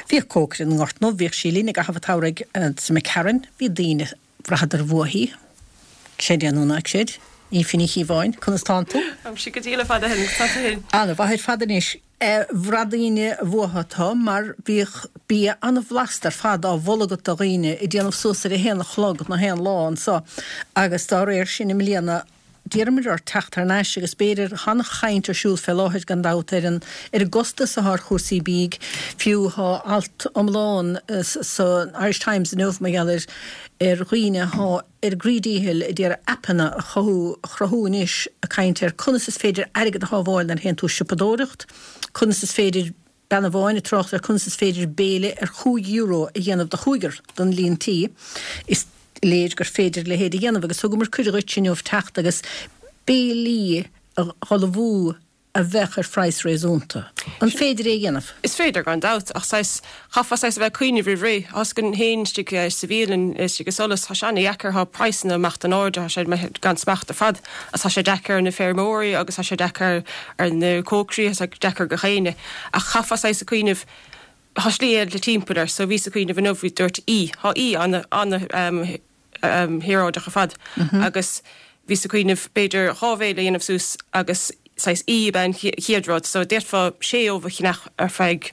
Bhíodh cócaire na nGort nDubh, bhíodh sí linn i gcaitheamh an tsamhraidh sa McCarron, bhí daoine, bhraitheadar uaithi, creid é nó ná creid, Aoife Ní Chíobháin, conas tánn tú? Táimse go diail fada shin, tá tú fhéin? Ana-mhaith ar fad anois. Bhraith daoine uathu tú mar bhíodh bia an-bhlasta ar fad á mholadh agat do dhaoine, ag déanamh suas ar a haon a chlog na haon lá anso agus dá réir sin i mbliana d'iarramar ort teacht thar n-ais agus b'fhéidir tá an-chaint ar siúl fé láthair gan dabht ar an ar an gcostas atá ar chúrsaí bídh, fiú tá alt iomlán san Irish Times inniu mar gheall ar ar dhaoine atá ar a gcroí díchill ag iarraidh aipeanna a chothú a chruthú anois ag caint ar conas is féidir airgead a shábháil nuair a théann tú ag siopadóireacht, conas is féidir. Bean amháin ag trácht ar conas is féidir béile ar €5 a dhéanamh do chúigear don líon tí. Is léir gur féidir a leithéid a dhéanamh agus thugamar cuireadh dhuit inniu teacht agus béilí a dh'ullmhú a bheadh ar phraghas réasúnta. An féidir é a dhéanamh? Is féidir, gan dabht, ach saghas, chaithfeá saghas a bheith ag cuimhneamh roimh ré. Thosaigh féin istigh sa bhialann, istigh i Solas, tá sé ana-dheacair, tá praghsanna amach in airde, tá sé gan smacht ar fad agus tá sé deacair ar na feirmeoirí agus tá sé deacair ar na cócairí, tá sé deacair do dhaoine. Ach chaithfeá saghas a cuimhneamh, tá slí eile timpeall air, so bhíos ag cuimhneamh inniu, bhí, dúirt í, tá í ana, ana shaoráideach ar fad agus bhíos ag cuimhneamh b'fhéidir 2 bhéile a dhéanamh suas agus saghas í ab ea an chéad rud, so d'fhéadfá sé ubh a cheannach ar feadh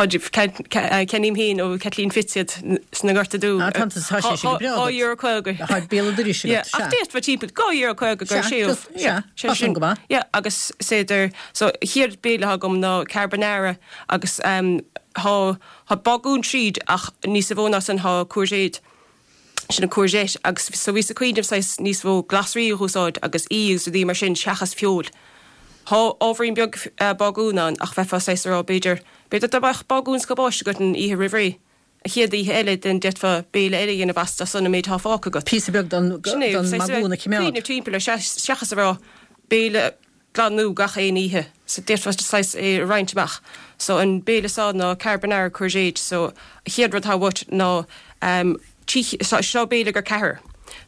ceannaím féin ó Kathleen Fitz iad sna Gorta Dubh. Ah, tá tá sé sin go breá agat. €2.50. Tá béal an dorais agat, sea. Ach d'fhéadfá timpeall €2.50 go sé ubh. Sea, tá sin go maith. Yeah, agus is féidir, so chéad béile atá agam ná carbonara agus tá tá bagún tríd ach níos mó ná san tá courgette. sin an courgette agus so bhíos ag cuimhneamh saghas níos mó glasraí a dh'úsáid agus í agus rudaí mar sin seachas feoil. Thá ábhairín beag bagún ann ach bheifeá saghas a rá b'fhéidir, b'fhéidir dá mbeadh bagún 's cabáiste agat an oíche roimh ré, an chéad oíche eile then d'fhéadfá béile eile a dhéanamh as as san an méid thá fágtha agat. Píosa beag don Sin é, don saghas a bheith mbagún a choimeád. cuimhneamh timpeall air seachas a rá béile glan nua gach aon oíche so d'fhéadfá saghas é a roinnt amach. So an béile seo ná carbonara courgette so an chéad rud atá uait ná ehm so seo béile go ceathrar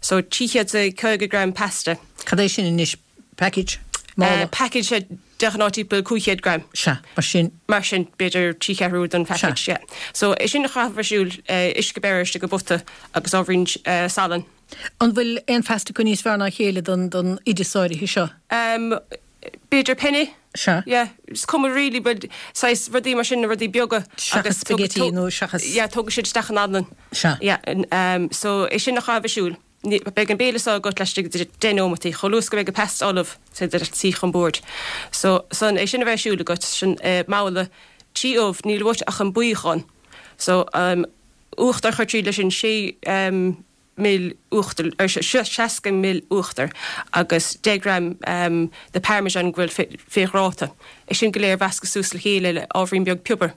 so 350 gram pasta. Cad é sin anois? Package? Mála? Package sea de ghnáth timpeall 500 gram. Sea, mar sin. Mar sin b'fhéidir trí cheathrú den package, yeah. So é sin a chaitheamh ar siúl, uisce beirthe istigh i bpota agus ábhairín salainn. An bhfuil aon phasta acu níos fearr ná a chéile don don oideas áirithe seo? Em, b'fhéidir penne. Sea. Yeah, is cuma really but saghas rudaí mar sin, na rudaí beaga. Seachas spaghetti nó seachas. Yeah, tógfaidh siad isteach an anlann. Sea. Yeah, em, so é sin a chaitheamh ar siúl. Beidh an béile seo agat laistigh de 10 nóimeataí, chomh luath is go mbeidh an pasta ullamh, is féidir leat suí chun boird. So, san, é sin a bheith ar siúl agat, sin, eh, babhla, 3 ubh, níl uait ach an buíochán. So, em, uachtar a chur tríd leis sin, 6 ml uachtair, 60 ml uachtair agus 10 gram de parmesan go bhfuil fé ghráta. É sin go léir a mheascadh suas le chéile le ábhairín beag piobair.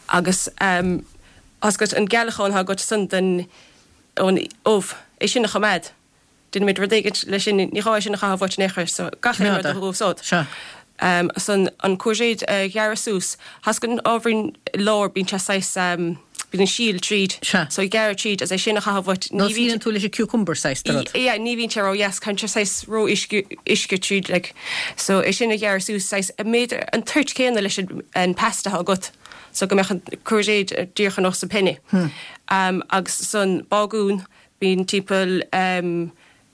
Agus tá's agat an gealachán atá agat san den ón ubh, é sin a choimeád. Déanfaimid rud éigin leis sin, ní gá é sin a chaitheamh uait in aon chor, so gach aon rud a dh'úsáid. Sea. Ansan an courgette a ghearradh suas, tá's agat an ábhairín lár, bíonn sé saghas, bíonn an síol tríd. Sea. So gearradh tríd agus é sin a chaitheamh uait, ní bhíonn. Nó tú leis an cucumber saghas de rud. Yeah, ní bhíonn sé ró-dheas, caitheann sé saghas ró uisce, uisce tríd like. So é sin a ghearradh suas saghas, an méid, an toirt céanna leis an pasta atá agat, so go mbeadh an courgette díreach ar nós an penne. Agus san bágún, Bíonn timpeall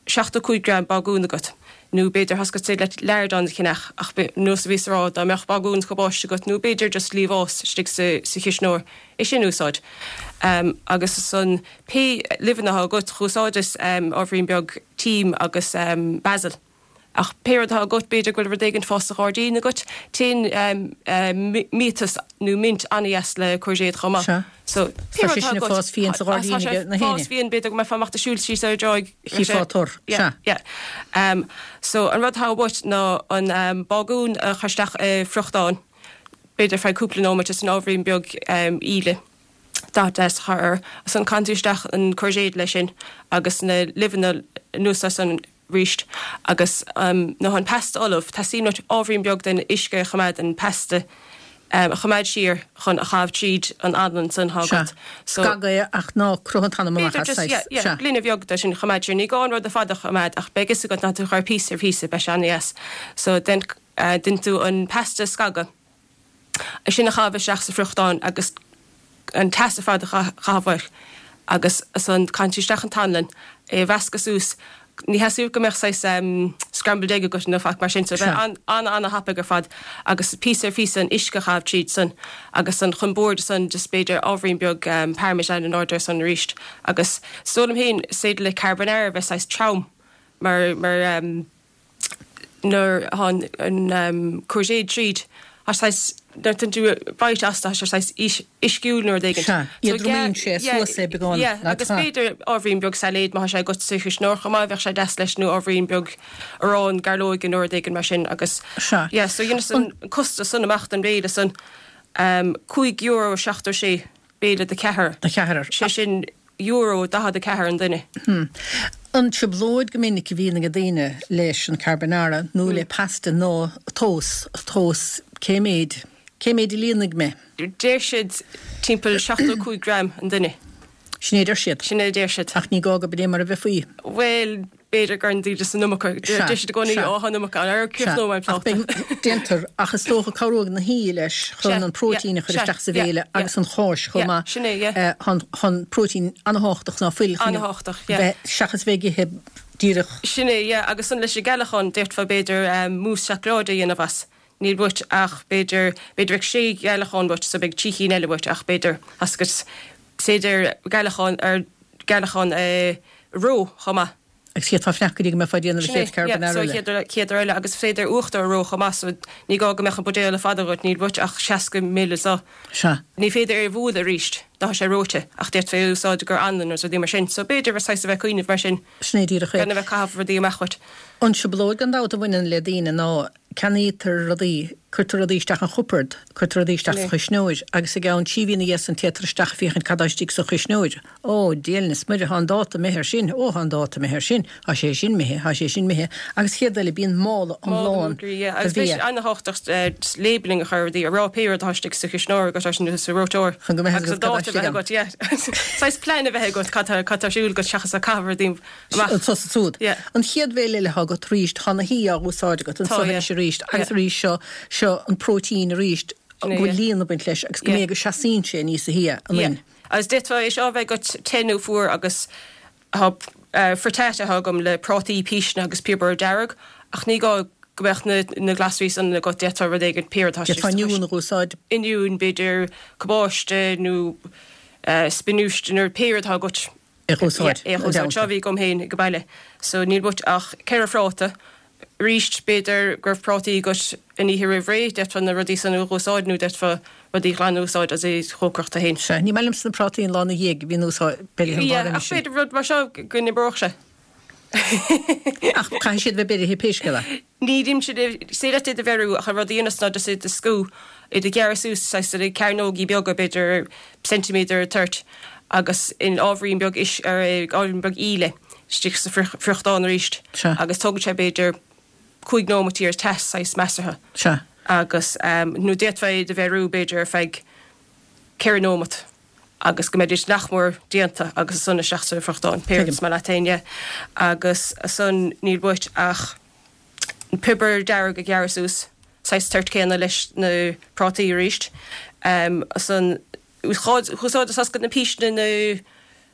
75 gram bagún agat, nó b'fhéidir tá's agat is féidir leat lardons a cheannach, ach nós a bhíos a rá, dá mbeadh bagún 's cabáiste agat, nó b'fhéidir just liamhás istigh sa chisneoir, é sin a úsáid. Agus ansan pé luibheanna atá agat, dh'úsáideas ábhairín beag tím agus basil. Ach pé rud atá agat, b'fhéidir go bhfuil rud éigin fás sa ghairdín agat. Téann miatas nó mint an-dheas le courgette chomh maith. Sea. So, pé Tá rud sé atá sin ag agat. fás fiáin sa ghairdín Tá sé ag na fás héinne. fiáin, b'fhéidir go mbeifeá amach ag siúl síos ar an dtráigh. Chífeá tor. Yeah, Sea. yeah. Um, so, an rud atá uait ná an um, bagún a chur isteach i friochtán, b'fhéidir feadh cúpla nóiméad is an ábhairín beag um, íle. Dath deas a chur air. Ansan caitheann tú isteach an courgette leis sin agus na luibheanna anuas air san arís agus nuair atá an pasta ullamh, teastaíonn uait ábhairín beag den uisce a choimeád, an pasta a choimeád siar chun a chaitheamh tríd an anlann san atá Sea. agat. So. Scag é ach ná croith an t-anam amach B'fhéidir as, just, saghas. yeah, yeah, Sea. gloine bheag de sin a choimeád siar. Ní gá an rud ar fad a choimeád ach beidh fhios agat nuair atá tú ag cur píosa ar phíosa, beidh sé an-dheas. So, déan, déan tú an pasta a scagadh. É sin a chaitheamh isteach sa friochtán agus an teas ar fad a chaitheamh air agus ansan caitheann tú isteach an t-anlann, é a mheascadh suas. Ní theastaíonn go mbeadh saghas scrambled egg agat nó faic mar sin so bheith an-an-thapaidh ar fad agus píosa ar phíosa an uisce a chaitheamh tríd san agus san chun boird san just b'fhéidir ábhairín beag parmesan in airde ar san arís agus is dóigh liom féin is féidir le carbonara bheith saghas trom mar mar nuair atá an courgette tríd, tá sé saghas, nuair a tógann tú bite as, tá sé saghas uisciúil nó rud éigin. Sea, éadromaíonn sé suas é beagán. Yeah, agus b'fhéidir ábhairín beag sailéid má tá sé agat sa chuisneoir chomh maith, bheadh sé deas leis, nó ábhairín beag arán gairleoige nó rud éigin mar sin agus, Sea. yeah, so dheineas an costas san amach don bhéile san, €5.76 béile do cheathrar. Do cheathrar. Sé sin euro 44 an duine. An trioblóid go minic a bhíonn ag daoine leis an carbonara nó le pasta ná tomhas, tomhas cé méid, cé méid a líonfaidh mé? Deir siad timpeall 75 gram an duine. Sin é a deir siad. Sin é a deir siad. Ach ní gá go b'in é mar a bheifí. Bhuel, b'fhéidir go ndéanann daoine an iomarca. Deir siad i gcónaí, Ó, tá an iomarca ann. Ar críochnóidh mé an pláta. Déantar, ach is dócha cabhróidh na hí leis chun an próitéin a chur isteach sa bhéile agus an cháis chomh maith. Sin é, yeah. Tá an próitéin an-thábhachtach ná fuil chun bheith, seachas bheith ag ithe díreach. Sin é, yeah. Agus san leis an gcealachán, d'fhéadfá b'fhéidir mousse seacláide a dhéanamh as. Níl uait ach b'fhéidir, b'fhéidir bheadh sé ghealachán uait so beidh trí chinn eile uait ach b'fhéidir, agus is féidir gealachán ar gealachán a reo chomh maith. Agus d'fhéadfá fanacht go dtí go mbeifeá ag déanamh an chéad carbonara eile. Sin é, yeah, so chéad uair eile agus is féidir uachtar a reo chomh maith so ní gá go mbeadh an buidéal ar fad agat, níl uait ach 60 ml so. Sea. Ní féidir é a bhualadh arís dá tá sé reoite ach d'fhéadfá é a úsáid i gcomhair anlann nó rudaí mar sin so b'fhéidir saghas a bheith ag cuimhneamh mar sin. Sin é díreach é. Gan a bheith ag caitheamh rudaí amach uait. An trioblóid gan dabht a bhaineann le daoine ná Ceannaítear rudaí, cuirtear rudaí isteach an chupard, cuirtear rudaí isteach sa chuisneoir agus i gceann trí mhí ina dhiaidh san téitear isteach ag féachaint cad tá istigh sa chuisneoir. Ó, Dia is Muire, tá an dáta imithe ar sin, ó, tá an dáta imithe ar sin, tá sé sin imithe, tá sé sin imithe agus chéad eile bíonn mála iomlán de bhia. Agus bhí sé an-thábhachtach labelling a chur ar rudaí, a rá pé rud atá istigh sa chuisneoir agat nó sa reoiteoir. Chun go mbeidh a fhios agat cad tá istigh ann. Agus an dáta a bheith agat, yeah. Saghas plean a bheith agat cad tá ar siúl agat seachas ag caitheamh rudaí amach. Anso is ansúd. An chéad bhéile eile atá agat arís, tá na hí á úsáid agat anso anois arís agus arís seo, seo an próitéin arís go bhfuil líon ag baint leis agus go mb'é go seasaíonn sé níosa shia an fhuin. Agus d'fhéadfá é seo a bheith agat te nó fuar agus tá frittata atá agam le prátaí, píseanna agus piobar dearg ach ní gá go mbeadh na na glasraí san agat, d'fhéadfá rud éigin, pé rud atá D'fhéadfá oinniún a úsáid. Oinniún, b'fhéidir cabáiste nó spionáiste nó pé rud atá agat. É a úsáid. É a úsáid. Seo a bhí agam féin ag baile. So níl uait ach ceithre phráta. Arís, b'fhéidir go raibh prátaí agat an oíche roimh ré, d'fhéadfá na rudaí san a úsáid nó d'fhéadfá rudaí glan a úsáid as é chócaireacht tú féin. Sea, ní maith liomsa na prátaí an lá ina dhiaidh a bhíonn úsáid, beirithe an lá roimhe sin. Ach b'fhéidir rud mar seo go n-oibreodh sé. Ach caithfidh siad bheith beirithe pé scéal é. Ní dhéanann siad, is féidir leat iad a bheiriú ach an rud a dhéanas ná just iad a scú, iad a ghearradh suas saghas ina cearnógaí beaga, b'fhéidir ceintiméadar ar toirt, agus in ábhairín beag uis, ar ábhairín beag íle istigh sa friochtán arís agus tógann sé b'fhéidir cúig nóimaití ar teas saghas measartha. Sea. Agus nó d'fhéadfá iad a bheiriú b'fhéidir ar feadh ceithre nóimeat. agus go mbeidís nach mór déanta agus ansan isteach sa bhfriochtán, pé rud is maith leat féin, yeah. Agus ansan níl uait ach piobar dearg a ghearradh suas, saghas toirt céanna leis na prátaí arís. Ansan úsáideas as na píseanna na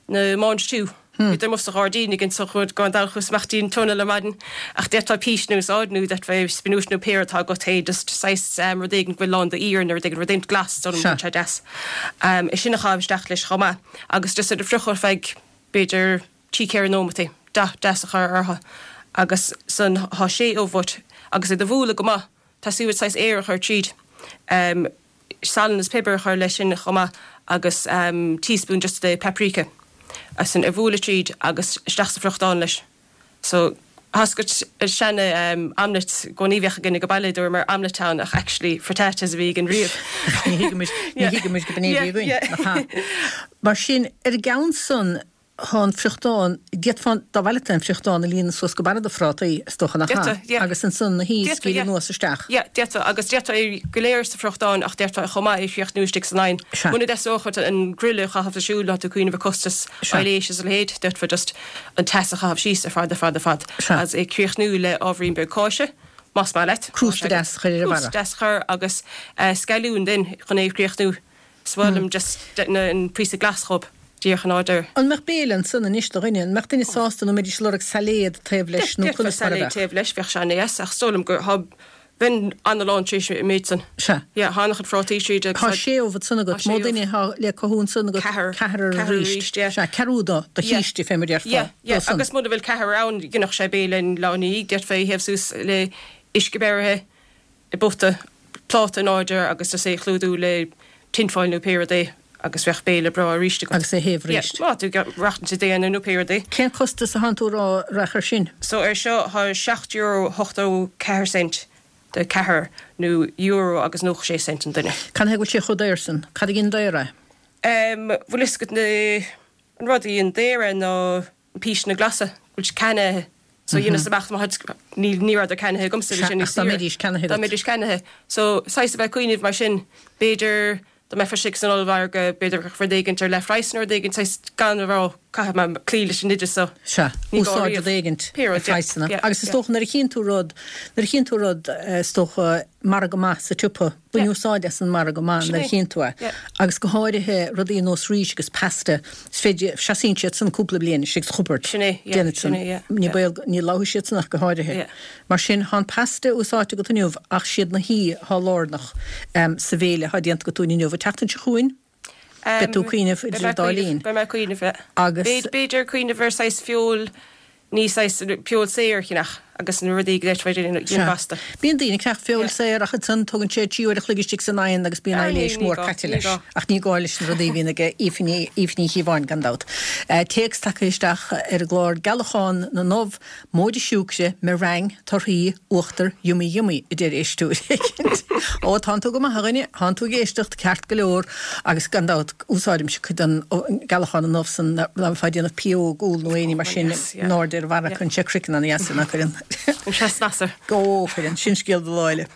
na mange-tout. Bhíodar amuigh sa ghairdín againn so gan dabht chuas amach dtí an tunnel ar maidin ach d'fhéadfá píseanna a úsáid nó d'fhéadfá spionúis nó pé rud atá agat féin just saghas rud éigin go bhfuil lán d'iarann nó rud éigin, rud éigin glas dóigh liom go bhfuil sé deas. É sin a chaitheamh isteach leis chomh maith agus just iad a friochadh ar feadh b'fhéidir trí ceithre nóimeataí, dath deas a chur orthu agus san tá sé ubh uait agus iad a bhualadh go maith, tá uait saghas aer a chur tríd. Salann is piobar a chur leis sin chomh maith agus teaspoon just de paprika ansan a bhualadh tríd agus isteach sa friochtán leis. So tá 's agat an seana omelette i gcónaí bheadh againn ag baile dúramar omelette ann ach actually frittatas a bhí againn riamh. Ní thuigimid, ní thuigimid go b'in é a bhí againn, nach ea? Mar sin, ar an gceann san, Tá an friochtán, d'fhéadfá, dá mhaith leat an friochtán a líonadh suas go barra do phrátaí, is dócha nach ea? D'fhéadfá, Agus ansan na hí a scaoileadh anuas isteach. Yeah, d'fhéadfá, agus d'fhéadfá é go léir sa friochtán ach d'fhéadfá é chomh maith é a chríochnú istigh san oigheann. Sea. Muna dteastódh uait an grille a chaitheamh ar siúl, tá tú ag cuimhneamh ar costas Sea. aibhléis is a leithéid, d'fhéadfá just an teas a chaitheamh síos ar fad, ar fad, ar fad. Sea. Agus é críochnú le ábhairín beag cáise. Más maith leat. Crústa deas a chur ar an bharra. Crústa deas a chur agus scailliún then chun é a chríochnú. Is mhaith liom just an píosa glas dhób díreach an deireadh. An mbeadh béile ansan anois do dhuine? An mbeadh duine sásta nó mbeidís ag lorg sailéad taobh leis nó conas mar a bheadh? Sailéad taobh leis, bheadh sé ana-dheas ach is dóigh liom gur thá bheinn ana-lán tar éis an méid san. Sea. Yeah, thá ana-chuid phrátaí tríd agus Thá sé ubh ansan agat, mó duine thá le cothú ansan agat? Ceathrar. Ceathrar arís. Yeah. Sea, ceathrú do do chíste fé mar déarfá. Yeah, yeah, agus muna bhfuil ceathrar ann, dhéanfadh sé béile an lá ina dhiaidh, d'fhéadfá é a théamh suas le uisce beirithe i bpota, pláta in airde agus just é a chlúdú le tinfoil nó pé rud é agus bheadh béile breá arís agat. Agus é a théamh arís. Yeah, má tá tú ag maireachtaint i d'aonar nó pé rud é. Cén costas a thánn tú a rá a raghadh ar sin? So ar seo thá €7.84 cent do ceathrar nó euro agus 96 cent an duine. Cad chuige go bhfuil sé chomh daor san? Cad a dhein daor é? Em, bhfuil fhios agat na, an rud a dhein daor é ná na píseanna glasa, go bhfuil siad ceannaithe. So dheineas amach má tháid, ní, ní rabhadar ceannaithe agamsa, bhí sé níos Ach dá mbeidís ceannaithe agat. Dá mbeidís ceannaithe. So, saghas a bheith ag cuimhneamh mar sin, b'fhéidir dá mbeifeá istigh san ollmhargadh, b'fhéidir rud éigint ar leathphraghas nó rud éigint, saghas gan a rá, caithfidh mé cloí leis an oideas so. Sea, úsáid rud éigint ar phraghsanna. Agus is dócha nuair a chíonn tú rud, nuair a chíonn tú rud, is dócha, margadh maith sa tsiopa, Bain úsáid as an margadh maith nuair a chíonn tú é. Agus go háirithe rudaí ar nós rís agus pasta, is féidir, seasaíonn siad san cúpla bliain istigh sa chupard. Déanfaidh san. Ní baol, ní lobhfaidh siad san ach go háirithe. Mar sin, thá an pasta úsáidte agat inniu ach siad na huibhe thá lárnach sa bhéile thá déanta agat dúinn inniu. An tseachtain seo chugainn, beidh tú ag cuimhneamh idir an dá linn. Beidh mé ag cuimhneamh, yeah. Agus. B'fhéidir cuimhneamh ar saghas feoil, ní saghas feoil saor a cheannach agus na rudaí go deirtear déanamh gasta. Bíonn daoine ag ceannach feoil saor ach ansan tógann sé 3 uair a chloig istigh san oigheann agus bíonn aibhléis mhór caite leis. Ach ní gá leis na rudaí a bhíonn ag Aoife Ní Chíobháin gan dabht. Téacs tagtha isteach ar an gclár Gealachán na nUbh Móide siúcra, meringue, torthaí, uachtar, yummy yummy, a deir éisteoir éicint. Ó, tánn tú go maith, a dhuine, tánn tú ag éisteacht, ceart go leor, agus gan dabht, úsáidimse cuid den gcealachán na n-ubh san dá mbeifeá ag déanamh pióg úll nó éinní mar sin, in airde ar an bharra, cuireann sé craiceann ana-dheas air, ná cuireann? Cuireann sé snas air. Ó, cuireann, sin scéal do lá eile.